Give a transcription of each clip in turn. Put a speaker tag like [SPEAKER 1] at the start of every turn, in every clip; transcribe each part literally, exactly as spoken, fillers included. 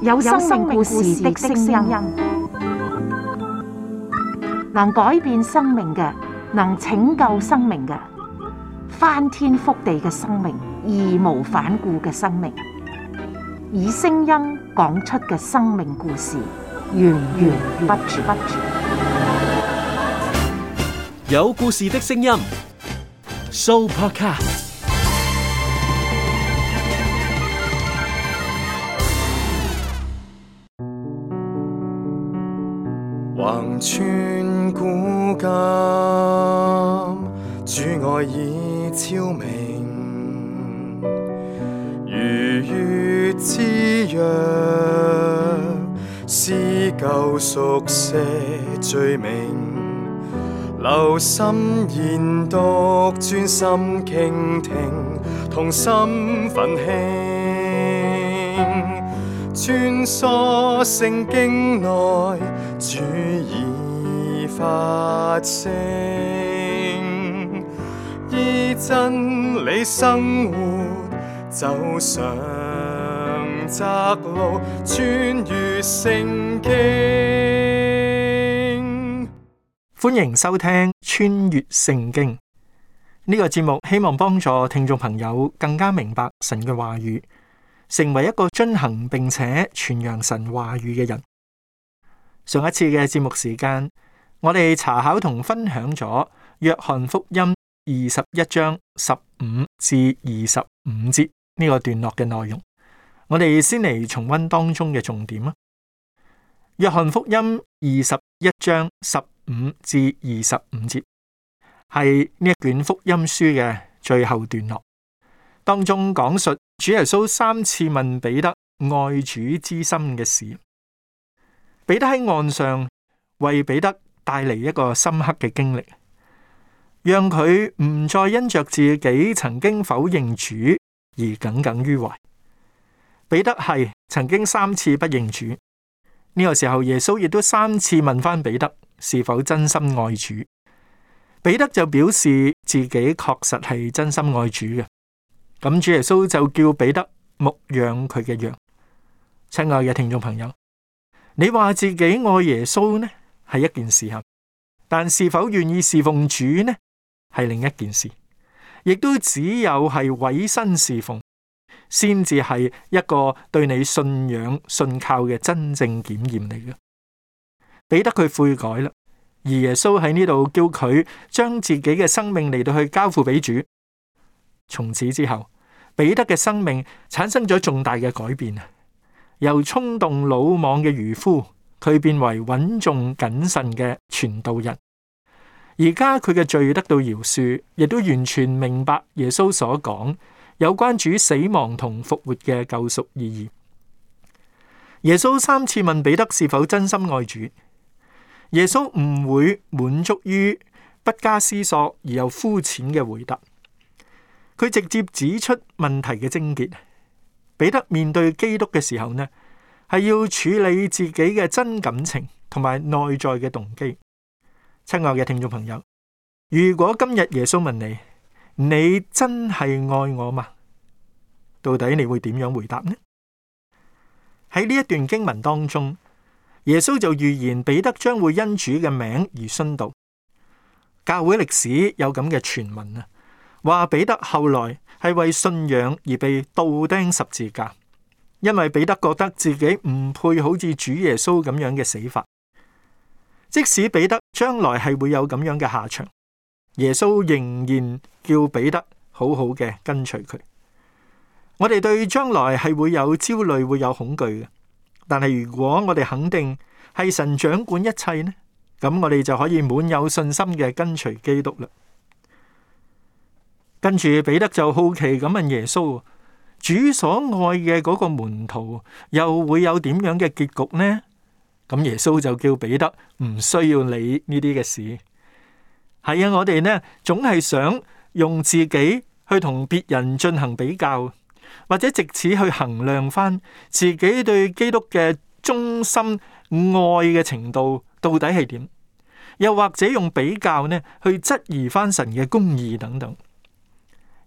[SPEAKER 1] 有生命故事的聲音，能改變生命嘅，能拯救生命嘅，翻天覆地嘅生命，義無反顧嘅生命，以聲音講出嘅生命故事，源源不絕。
[SPEAKER 2] 有故事的聲音 ，Sooo Podcast。
[SPEAKER 3] 橫穿古今，主愛已超明，如月之約，撕舊熟寫罪名，留心研讀，專心傾聽，同心奮興，穿梭聖經內，主已發聲，依真理生活，走上窄路，穿越聖經。
[SPEAKER 4] 歡迎收聽穿越聖經呢個節目，希望幫助聽眾朋友更加明白神嘅話語，成為一個遵行並且傳揚神話語嘅人。上一次嘅節目時間，我哋查考同分享咗約翰福音二十一章十五至二十五節呢個段落嘅內容。我哋先嚟重溫當中嘅重點啊。約翰福音二十一章十五至二十五節係呢一卷福音書嘅最後段落，當中講述主耶穌三次問彼得愛主之心嘅事。彼得喺岸上為彼得帶嚟一個深刻嘅經歷，讓佢唔再因着自己曾經否認主而耿耿於懷。彼得係曾經三次不認主，呢個時候耶穌亦都三次問翻彼得是否真心愛主。彼得就表示自己確實係真心愛主嘅，咁主耶穌就叫彼得牧養佢嘅羊。親愛嘅聽眾朋友，你話自己愛耶穌呢，係一件事啊，但是否願意侍奉主呢，係另一件事。亦都只有係委身侍奉，先至係一個對你信仰信靠嘅真正檢驗嚟嘅。彼得佢悔改啦，而耶穌喺呢度叫佢將自己嘅生命嚟到去交付俾主。從此之後，彼得嘅生命產生咗重大嘅改變，由衝動魯莽嘅漁夫，佢變為穩重謹慎嘅傳道人。而家佢嘅罪得到饒恕，亦都完全明白耶穌所講有關主死亡同復活嘅救贖意義。耶穌三次問彼得是否真心愛主，耶穌唔會滿足於不加思索而又膚淺嘅回答，佢直接指出問題嘅症結。彼得面對基督嘅時候呢，係要處理自己嘅真感情同埋內在嘅動機。親愛嘅聽眾朋友，如果今日耶穌問你，你真係愛我嗎？到底你會點樣回答呢？喺呢一段經文當中，耶穌就預言彼得將會因主嘅名而殉道。教會歷史有咁嘅傳聞啊，話彼得後來係為信仰而被倒釘十字架，因為彼得覺得自己唔配好似主耶穌咁樣嘅死法。即使彼得將來係會有咁樣嘅下場，耶穌仍然叫彼得好好嘅跟隨佢。我哋對將來係會有焦慮，會有恐懼嘅，但係如果我哋肯定係神掌管一切呢，咁我哋就可以滿有信心嘅跟隨基督啦。跟住彼得就好奇咁問耶穌，主所愛嘅嗰個門徒又會有點樣嘅結局呢？咁耶穌就叫彼得唔需要理呢啲嘅事。係啊，我哋呢總係想用自己去同別人進行比較，或者借此去衡量翻自己對基督嘅忠心愛嘅程度到底係點，又或者用比較呢去質疑翻神嘅公義等等。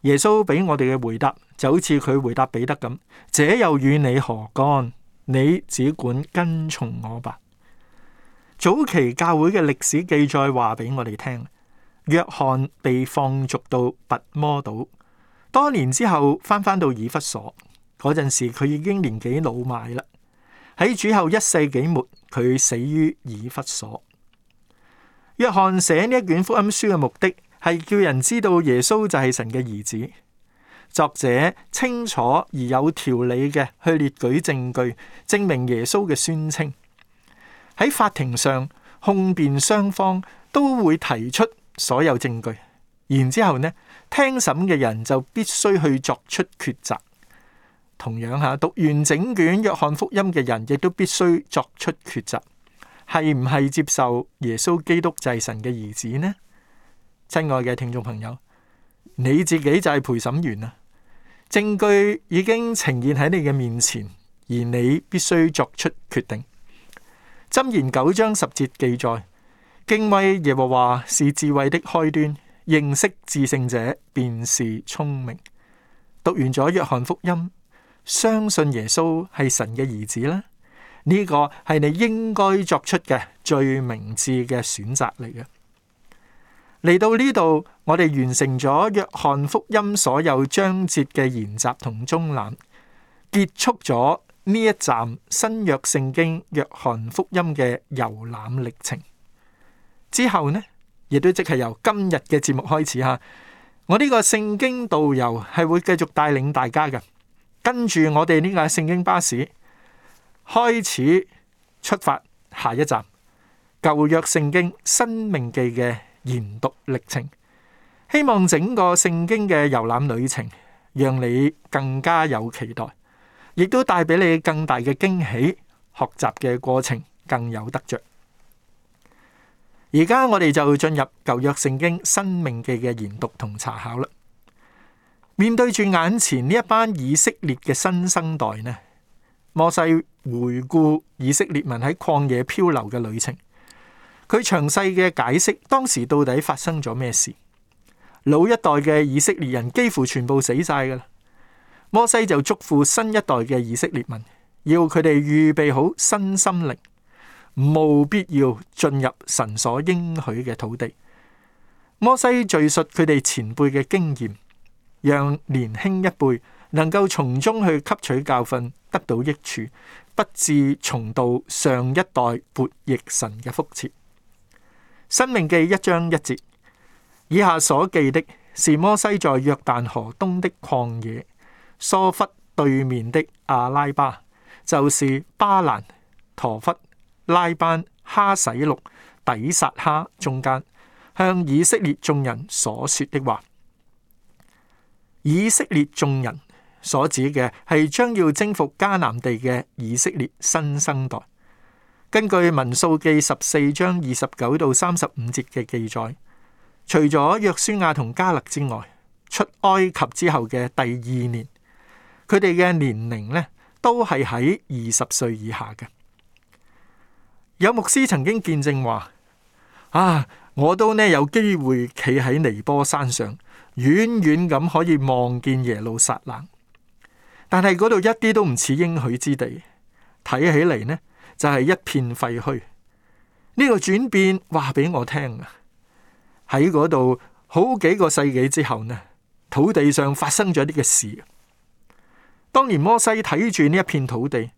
[SPEAKER 4] 耶穌俾我哋嘅回答就好似佢回答彼得咁，這又與你何干？你只管跟從我吧。早期教會嘅歷史記載話俾我哋聽，約翰被放逐到拔摩島，多年之後翻返到以弗所，嗰陣時佢已經年紀老邁啦。喺主後一世紀末，佢死於以弗所。約翰寫呢一卷福音書嘅目的係叫人知道耶穌就係神嘅兒子。作者清楚而有條理嘅去列舉證據，證明耶穌嘅宣稱。喺法庭上，控辯雙方都會提出所有證據，然之後呢，聽審嘅人就必須去作出抉擇。同樣吓，讀完整卷約翰福音嘅人亦都必須作出抉擇，係唔係接受耶穌基督就係神嘅兒子呢？親愛嘅聽眾朋友，你自己就係陪審員啊！證據已經呈現喺你嘅面前，而你必須作出決定。箴言九章十節記載：敬畏耶和華是智慧的開端，認識至聖者便是聰明。讀完咗約翰福音，相信耶穌係神嘅兒子啦，呢個係你應該作出嘅最明智嘅選擇嚟嘅。嚟到呢度，我哋完成咗約翰福音所有章節嘅研習同綜覽，結束咗呢一站新約聖經約翰福音嘅遊覽歷程。之後呢，亦都即係由今日嘅節目開始吓，我呢個聖經導遊係會繼續帶領大家嘅，跟住我哋呢個聖經巴士開始出發，下一站舊約聖經申命記嘅研讀歷程。希望整個聖經嘅遊覽旅程讓你更加有期待，亦都帶俾你更大嘅驚喜，學習嘅過程更有得着。而家我哋就進入舊約聖經申命記嘅研讀同查考啦。面對住眼前呢一班以色列嘅新生代呢，摩西回顧以色列民喺曠野漂流嘅旅程，佢詳細嘅解釋當時到底發生咗咩事。老一代嘅以色列人幾乎全部死晒噶啦，摩西就囑咐新一代嘅以色列民，要佢哋預備好新心靈，務必要進入神所應許嘅土地。摩西敘述佢哋前輩嘅經驗，讓年輕一輩能夠從中去吸取教訓，得到益處，不致重蹈上一代悖逆神嘅覆轍。申命記一章一節，以下所記的是摩西在約旦河東的曠野，疏忽對面的阿拉巴，就是巴蘭、陀弗、拉班、哈洗錄、底撒哈中間，向以色列眾人所說的話。以色列眾人所指嘅係將要征服迦南地嘅以色列新生代。根據民數記十四章二十九到三十五節嘅記載，除咗約書亞同迦勒之外，出埃及之後嘅第二年，佢哋嘅年齡呢都係喺二十歲以下嘅。有牧師曾經見證話：啊，我都呢有機會企喺尼波山上，遠遠咁可以望見耶路撒冷，但係嗰度一啲都唔似應許之地，睇起嚟呢就係一片廢墟。呢個轉變話俾我聽啊！喺嗰度好幾個世紀之後呢，土地上發生咗啲嘅事。當年摩西睇住呢一片土地，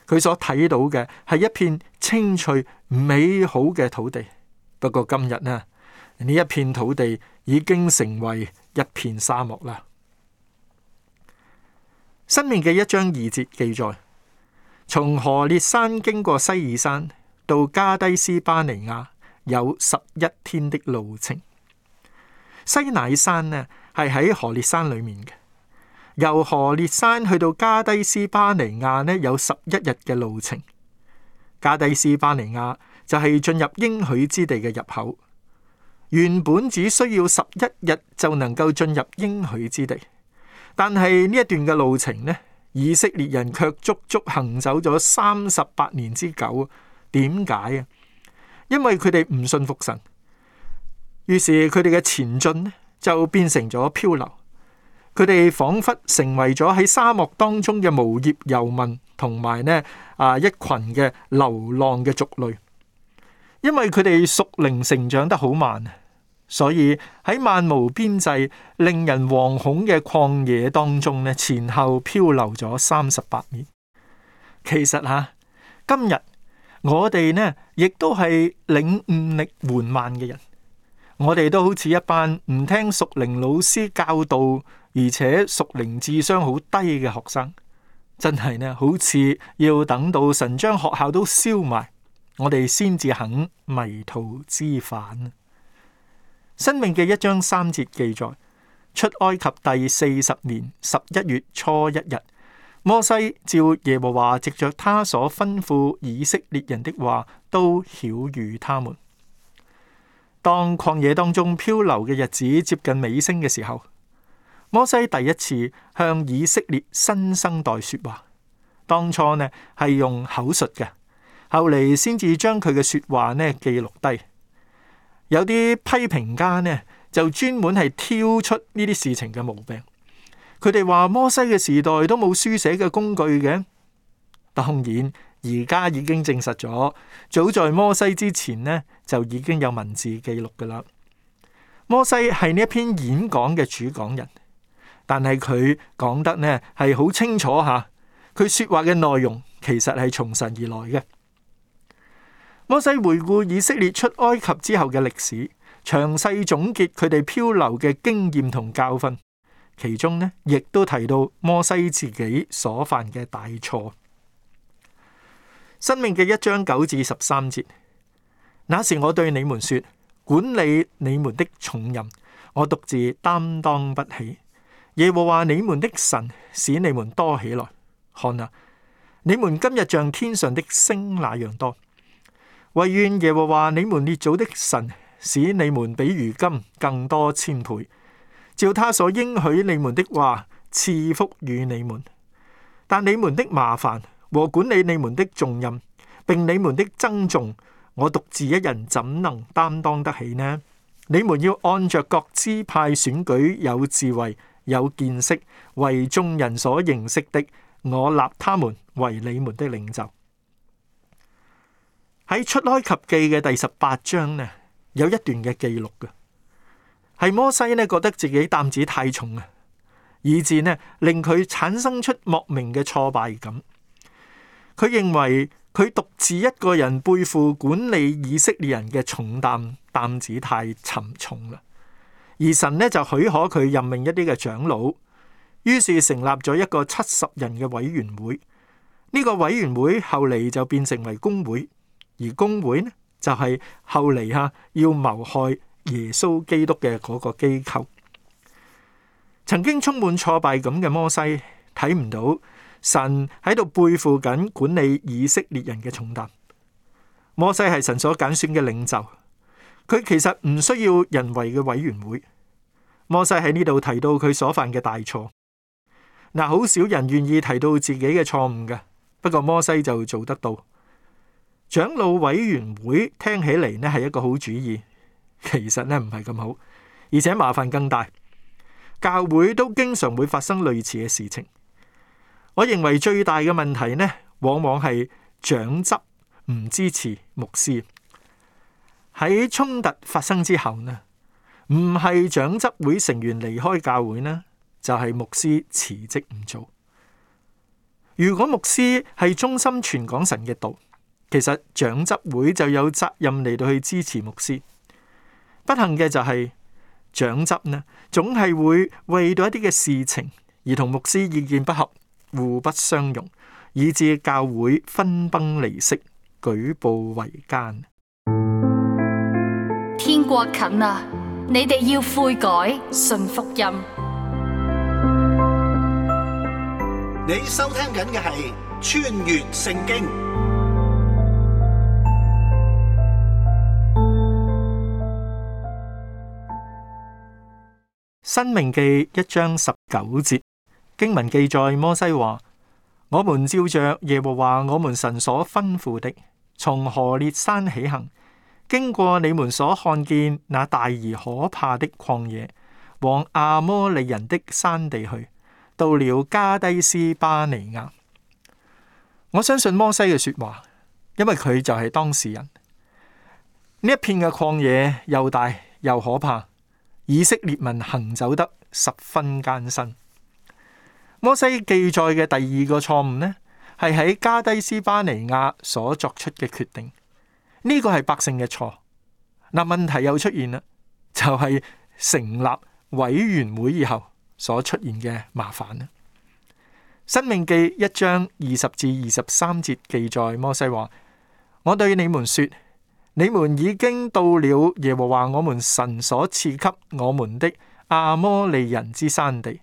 [SPEAKER 4] 佢所睇到嘅係一片青翠美好嘅土地。不過今日呢，呢一片土地已經成為一片沙漠啦。申命記一章二節記載，從何烈山經過西珥山到加低斯巴尼亞，有十一天的路程。西乃山呢係喺何烈山裏面嘅，由何烈山去到加低斯巴尼亞呢有十一日嘅路程。加低斯巴尼亞就係進入應許之地嘅入口，原本只需要十一日就能夠進入應許之地，但係呢一段嘅路程呢，以色列人卻足足行走咗三十八年之久。點解啊？因為佢哋唔信服神，於是佢哋嘅前進呢就變成咗漂流，佢哋仿佛成為咗喺沙漠當中嘅無業遊民，同埋呢啊一群嘅流浪嘅族類。因為佢哋屬靈成長得好慢，所以喺漫無邊際、令人惶恐嘅曠野當中呢，前後漂流咗三十八年。其實吓，今日我哋呢，亦都係領悟力緩慢嘅人。我哋都好似一班唔聽屬靈老師教導，而且屬靈智商好低嘅學生，真係呢，好似要等到神將學校都燒埋，我哋先至肯迷途知返。申命記一章三節記載，出埃及第四十年十一月初一日，摩西照耶和華藉着他所吩咐以色列人的話，都曉諭他們。當曠野當中漂流嘅日子接近尾聲嘅時候，摩西第一次向以色列新生代說話。當初呢係用口述嘅，後嚟先至將佢嘅說話呢記錄低。有啲批評家呢就專門係挑出呢啲事情嘅毛病。佢哋話摩西嘅時代都冇書寫嘅工具嘅。當然而家已經證實咗，早在摩西之前呢就已經有文字記錄噶啦。摩西係呢一篇演講嘅主講人，但係佢講得呢係好清楚吓，佢說話嘅內容其實係從神而來嘅。摩西回顧以色列出埃及之後嘅歷史，詳細總結佢哋漂流嘅經驗同教訓，其中呢亦都提到摩西自己所犯嘅大錯。申命記一章九至十三節，那時我對你們說，管理你們的重任，我獨自擔當不起。耶和華你們的神使你們多起來，看啊，你們今日像天上的星那樣多。惟願耶和華你們列祖的神使你們比如今更多千倍，照他所應許你們的話賜福與你們。但你們的麻煩和管理你們的重任，並你們的爭訟，我獨自一人怎能擔當得起呢？你們要按着各支派選舉有智慧、有見識、為眾人所認識的，我立他們為你們的領袖。喺出埃及記嘅第十八章呢，有一段嘅記錄嘅，係摩西呢覺得自己擔子太重啊，以致呢令佢產生出莫名嘅挫敗感。佢認為佢獨自一個人背負管理以色列人嘅重擔，擔子太沉重啦。而神呢就許可佢任命一啲嘅長老，於是成立咗一個七十人嘅委員會。呢、這個委員會後嚟就變成為公會。而公會呢，就係、是、後嚟吓要謀害耶穌基督嘅嗰個機構。曾經充滿挫敗感嘅摩西睇唔到神喺度背負緊管理以色列人嘅重擔。摩西係神所揀選嘅領袖，佢其實唔需要人為嘅委員會。摩西喺呢度提到佢所犯嘅大錯。嗱，好少人願意提到自己嘅錯誤嘅，不過摩西就做得到。長老委員會聽起嚟呢係一個好主意，其實呢唔係咁好，而且麻煩更大。教會都經常會發生類似嘅事情。我認為最大嘅問題呢，往往係長執唔支持牧師。喺衝突發生之後呢，唔係長執會成員離開教會呢，就係牧師辭職唔做。如果牧師係忠心傳講神嘅道，其實長執會就有責任嚟到去支持牧師。不幸嘅就係長執呢，總係會為到一啲嘅事情而同牧師意見不合，互不相容，以致教會分崩離析，舉步維艱。
[SPEAKER 5] 天國近啦，你哋要悔改，信福音。
[SPEAKER 6] 你收聽緊嘅係穿越聖經。
[SPEAKER 4] 申命記一章十九節經文記載，摩西話：我們照着耶和華我們神所吩咐的，從何烈山起行，經過你們所看見那大而可怕的曠野往亞摩利人的山地去，到了加低斯巴尼亞。我相信摩西嘅說話，因為佢就係當事人。呢一片嘅曠野又大又可怕，以色列民行走得十分艱辛。摩西記載嘅第二個錯誤呢，係喺加低斯巴尼亞所作出嘅決定。呢個係百姓嘅錯。嗱，問題又出現啦，就係成立委員會以後所出現嘅麻煩啦。申命記一章二十至二十三節記載，摩西話：我對你們說，你們已經到了耶和華我們神所賜給我們的亞摩利人之山地。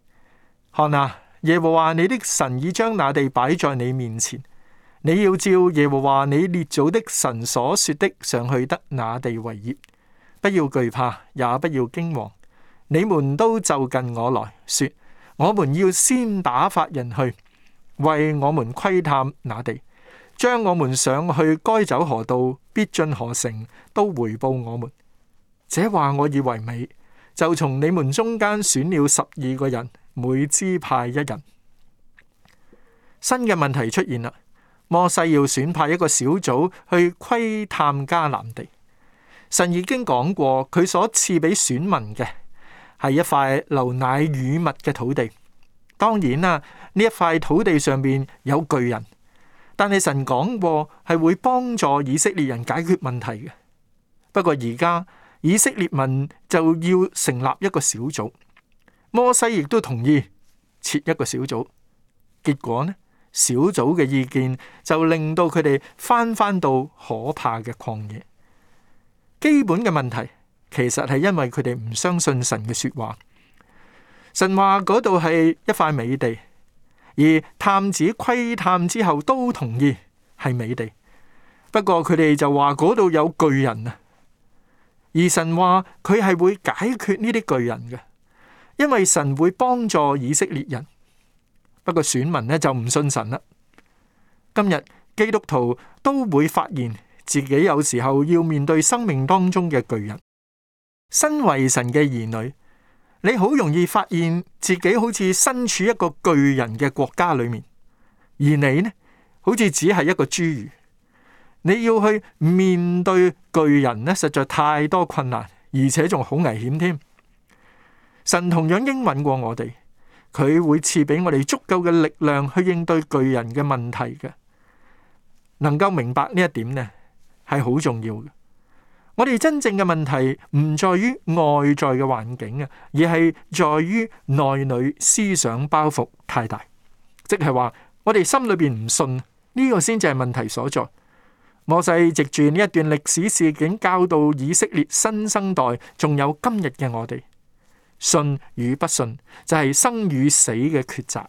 [SPEAKER 4] 看啊，耶和華你的神已將那地擺在你面前，你要照耶和華你列祖的神所說的上去得那地為業。不要懼怕，也不要驚惶。你們都就近我來說，我們要先打發人去，為我們窺探那地，將我們上去該走何道，必進何城，都回報我們。這話我以為美，就從你們中間選了十二個人，每支派一人。新嘅問題出現啦，摩西要選派一個小組去窺探迦南地。神已經講過，佢所賜俾選民嘅係一塊流奶與蜜嘅土地。當然啦，呢一塊土地上面有巨人，但係神講過係會幫助以色列人解決問題嘅。不過而家以色列民就要成立一個小組，摩西亦都同意設一個小組。結果呢，小組嘅意見就令到佢哋翻翻到可怕嘅曠野。基本嘅問題其實係因為佢哋唔相信神嘅說話。神話嗰度係一塊美地，而探子窺探之後都同意係美地。不過佢哋就話嗰度有巨人啊，而神話佢係會解決呢啲巨人嘅，因為神會幫助以色列人。不過選民呢就唔信神啦。今日基督徒都會發現自己有時候要面對生命當中嘅巨人。身為神嘅兒女，你好容易發現自己好似身處一個巨人嘅國家裏面，而你呢，好似只係一個侏儒。你要去面對巨人呢，實在太多困難，而且仲好危險添。神同樣應允過我哋，佢會賜俾我哋足夠嘅力量去應對巨人嘅問題嘅。能夠明白呢一點呢，係好重要嘅。我哋真正嘅問題唔在於外在嘅環境啊，而係在於內裏思想包袱太大，即係話我哋心裏邊唔信，呢個先至係問題所在。摩西藉住呢一段歷史事件教導以色列新生代，仲有今日嘅我哋，信與不信就係生與死嘅抉擇。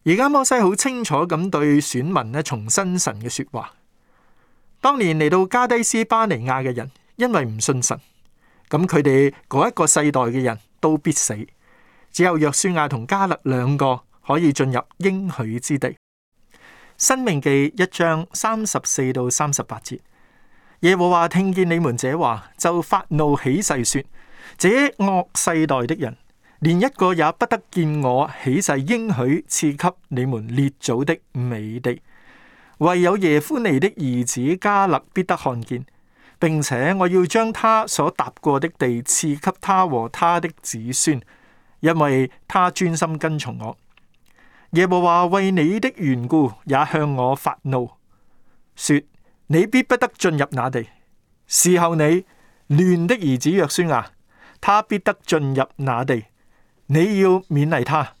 [SPEAKER 4] 而家摩西好清楚咁對選民咧重申神嘅說話。當年嚟到加低斯巴尼亞嘅人，因為唔信神，咁佢哋嗰一個世代嘅人都必死，只有約書亞同迦勒兩個可以進入應許之地。申命記一章三十四到三十八節，耶和華聽見你們這話，就發怒起誓說：這惡世代的人，連一個也不得見我起誓應許賜給你們列祖的美地。唯有耶夫尼的兒子迦勒必得看見，並且我要將他所踏過的地賜給他和他的子孫，因為他專心跟從我。耶和華為你的緣故也向我發怒，說你必不得進入那地。伺候你亂的兒子約書亞，他必得進入那地。你要勉勵他，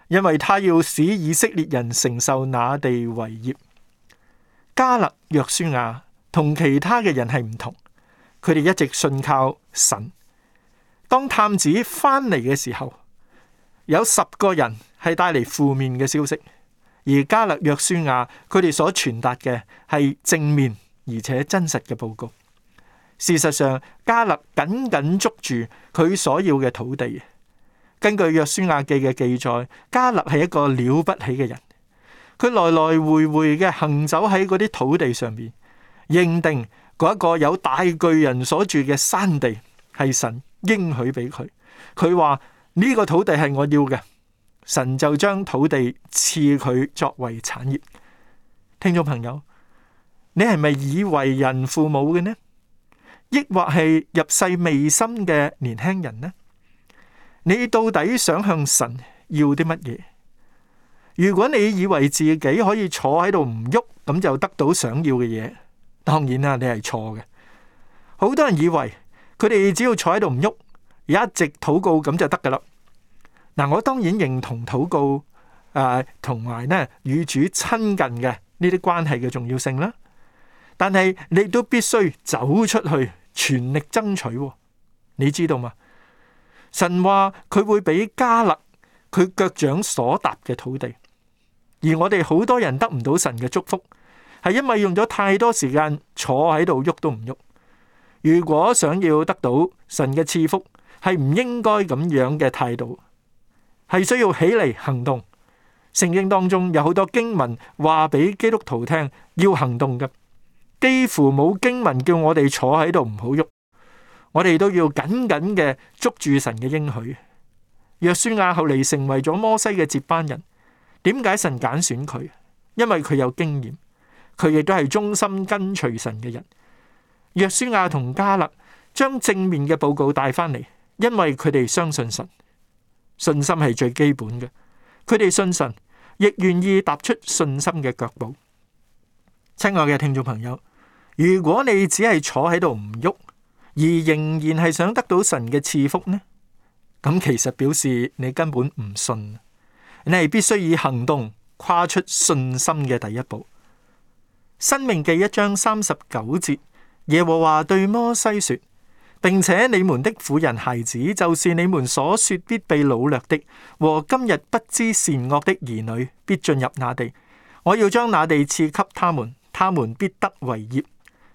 [SPEAKER 4] 因為他要使以色列人承受那地為業。迦勒、約書亞同其他嘅人係唔同，佢哋一直信靠神。當探子翻嚟嘅時候，有十個人係帶嚟負面嘅消息，而迦勒、約書亞佢哋所傳達嘅係正面而且真實嘅報告。事實上，迦勒緊緊捉住佢所要嘅土地。根據約書亞記嘅記載，迦勒係一個了不起嘅人。佢來來回回嘅行走喺嗰啲土地上面，認定嗰一個有大巨人所住嘅山地係神應許俾佢。佢話呢個土地係我要嘅，神就將土地賜佢作為產業。聽眾朋友，你係咪已為人父母嘅呢？抑或係入世未深嘅年輕人呢？你到底想向神要啲乜嘢？如果你以為自己可以坐喺度唔喐，咁就得到想要嘅嘢，當然啦，你係錯嘅。好多人以為佢哋只要坐喺度唔喐，一直禱告咁就得噶啦。嗱，我當然認同禱告誒，同埋呢與主親近嘅呢啲關係嘅重要性啦。但係你都必須走出去，全力爭取。你知道嗎？神話佢會俾迦勒佢腳掌所踏嘅土地，而我哋好多人得唔到神嘅祝福，係因為用咗太多時間坐喺度喐都唔喐。如果想要得到神嘅賜福，係唔應該咁樣嘅態度，係需要起嚟行動。聖經當中有好多經文話俾基督徒聽要行動嘅，幾乎冇經文叫我哋坐喺度唔好喐。我哋都要緊緊嘅捉住神嘅應許。約書亞後嚟成為咗摩西嘅接班人，點解神揀選佢？因為佢有經驗，佢亦都係忠心跟隨神嘅人。約書亞同迦勒將正面嘅報告帶翻嚟，因為佢哋相信神。信心係最基本嘅，佢哋信神，亦願意踏出信心嘅腳步。親愛嘅聽眾朋友，如果你只係坐喺度唔喐，而仍然係想得到神嘅賜福呢？咁其實表示你根本唔信，你係必須以行動跨出信心嘅第一步。申命記一章三十九節，耶和華對摩西說：並且你們的婦人孩子，就是你們所說必被擄掠的，和今日不知善惡的兒女，必進入那地。我要將那地賜給他們，他們必得為業。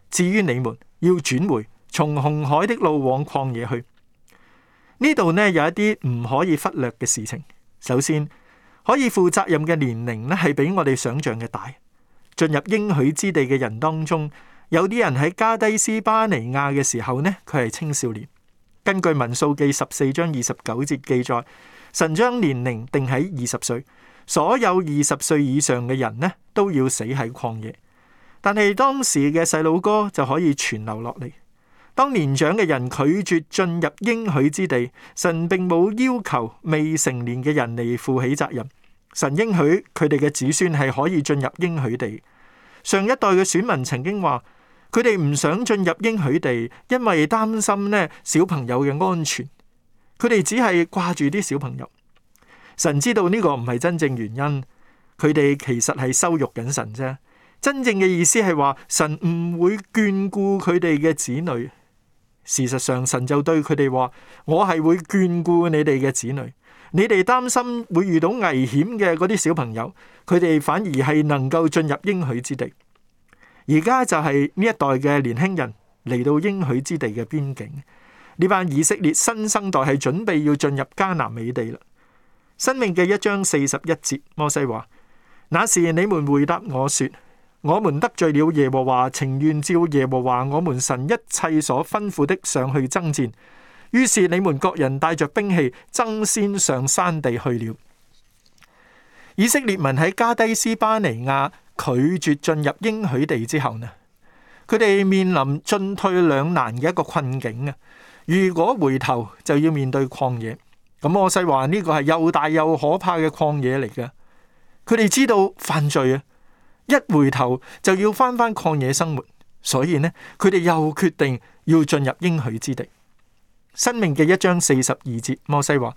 [SPEAKER 4] 至於你們，要轉回，從紅海的路往曠野去。呢度呢有一啲唔可以忽略嘅事情。首先，可以負責任嘅年齡呢係比我哋想象嘅大。進入應許之地嘅人當中，有啲人喺加低斯巴尼亞嘅時候呢，佢係青少年。根據民數記十四章二十九節記載，神將年齡定喺二十歲，所有二十歲以上嘅人呢都要死喺曠野。但係當時嘅細路哥就可以存留落嚟。當年長嘅人拒絕進入應許之地，神並冇要求未成年嘅人嚟負起責任。神應許佢哋嘅子孫係可以進入應許地。上一代嘅選民曾經話，佢哋唔想進入應許地，因為擔心呢小朋友嘅安全。佢哋只係掛住啲小朋友。神知道呢個唔係真正原因，佢哋其實係羞辱緊神啫。真正嘅意思係話，神唔會眷顧佢哋嘅子女。事實上，神就對佢哋話：我係會眷顧你哋嘅子女。你哋擔心會遇到危險嘅嗰啲小朋友，佢哋反而係能夠進入應許之地。而家就係呢一代嘅年輕人嚟到應許之地嘅邊境。呢班以色列新生代係準備要進入迦南美地啦。申命記一章四十一節，摩西話：那時你們回答我說，我們得罪了耶和華，情願照耶和華我們神一切所吩咐的上去爭戰。於是你們各人帶着兵器爭先上山地去了。以色列民喺加低斯巴尼亞拒絕進入應許地之後呢，佢哋面臨進退兩難嘅一個困境啊！如果回頭就要面對曠野，咁摩西話呢個係又大又可怕嘅曠野嚟嘅。佢哋知道犯罪啊！一回頭就要翻返曠野生活，所以呢，佢哋又決定要進入應許之地。申命記一章四十二節，摩西話：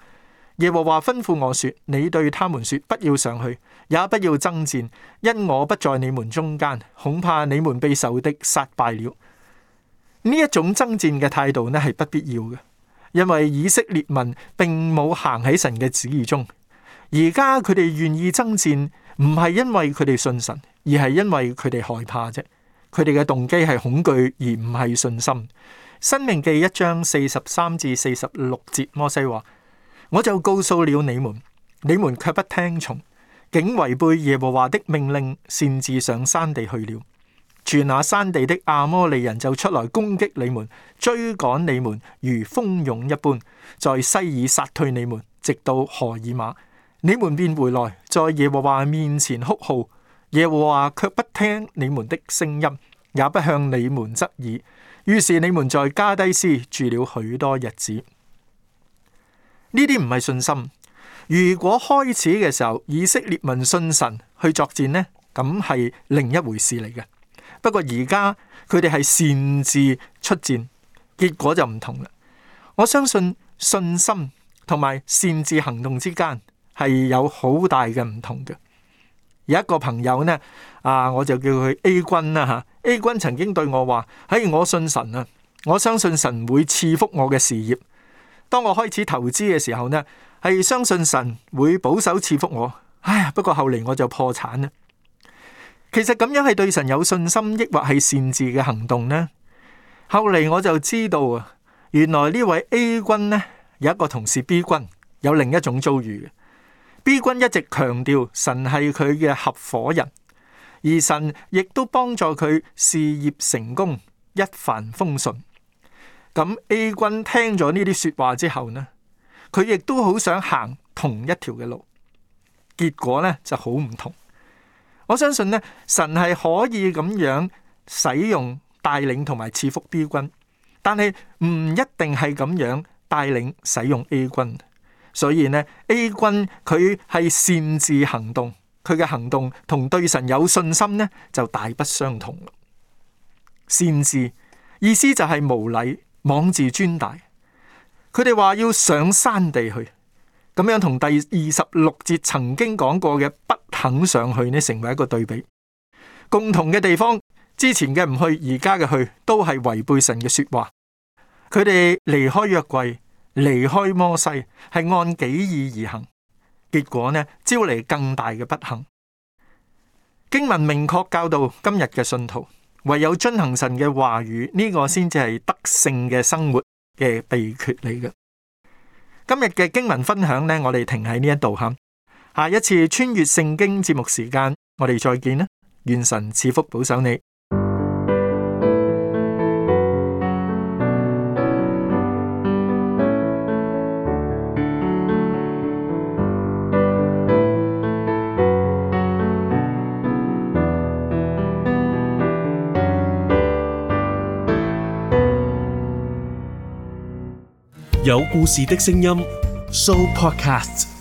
[SPEAKER 4] 耶和華吩咐我說，你對他們說，不要上去，也不要爭戰，因我不在你們中間，恐怕你們被仇敵殺敗了。呢一種爭戰嘅態度呢係不必要嘅，因為以色列民並冇行喺神嘅旨意中。而家佢哋願意爭戰，唔係因為佢哋信神，而係因為佢哋害怕啫。佢哋嘅動機係恐懼，而唔係信心。申命記一章四十三至四十六節，摩西話：我就告訴了你們，你們卻不聽從，竟違背耶和華的命令，擅自上山地去了。住那山地的亞摩利人就出來攻擊你們，追趕你們如蜂蛹一般，在西爾殺退你們，直到何爾瑪。你們便回來，在耶和華面前哭號，耶和華卻不聽你們的聲音，也不向你們側耳。於是你們在加低斯住了許多日子。呢啲唔係信心。如果開始嘅時候以色列民信神去作戰呢，咁係另一回事嚟嘅。不過而家佢哋係擅自出戰，結果就唔同啦。我相信信心同埋擅自行動之間係有好大嘅唔同嘅。有一個朋友呢，啊，我就叫佢 A 君啦吓。A 君曾經對我話：嘿，我信神啊，我相信神會賜福我嘅事業。當我開始投資嘅時候呢，係相信神會保守賜福我。唉，不過後嚟我就破產啦。其實咁樣係對神有信心，抑或係擅自嘅行動呢？後嚟我就知道啊，原來呢位 A 君呢，有一個同事 B 君有另一種遭遇嘅。B 君一直強調神係佢嘅合夥人，而神亦都幫助佢事業成功，一帆風順。咁 A 君聽咗呢啲說話之後呢，佢亦都好想行同一條嘅路，結果呢就好唔同。我相信呢，神係可以咁樣使用帶領同埋賜福 B 君，但係唔一定係咁樣帶領使用 A 君。所以呢 A 君佢係擅自行動，佢嘅行動同對神有信心呢就大不相同。擅自意思就係無禮、妄自尊大。佢哋話要上山地去，咁樣同第二十六節曾經講過嘅不肯上去呢，成為一個對比。共同嘅地方，之前嘅唔去，而家嘅去，都係違背神嘅說話。佢哋離開約櫃，離開摩西，係按己意而行，結果呢，招嚟更大嘅不幸。經文明確教導今日嘅信徒，唯有遵行神嘅話語，呢、這個先至係得勝嘅生活嘅秘訣嚟嘅。今日嘅經文分享呢，我哋停喺呢一度吓。下一次穿越聖經節目時間，我哋再見啦！願神賜福保守你。
[SPEAKER 2] 有故事的聲音 ，Show Podcast。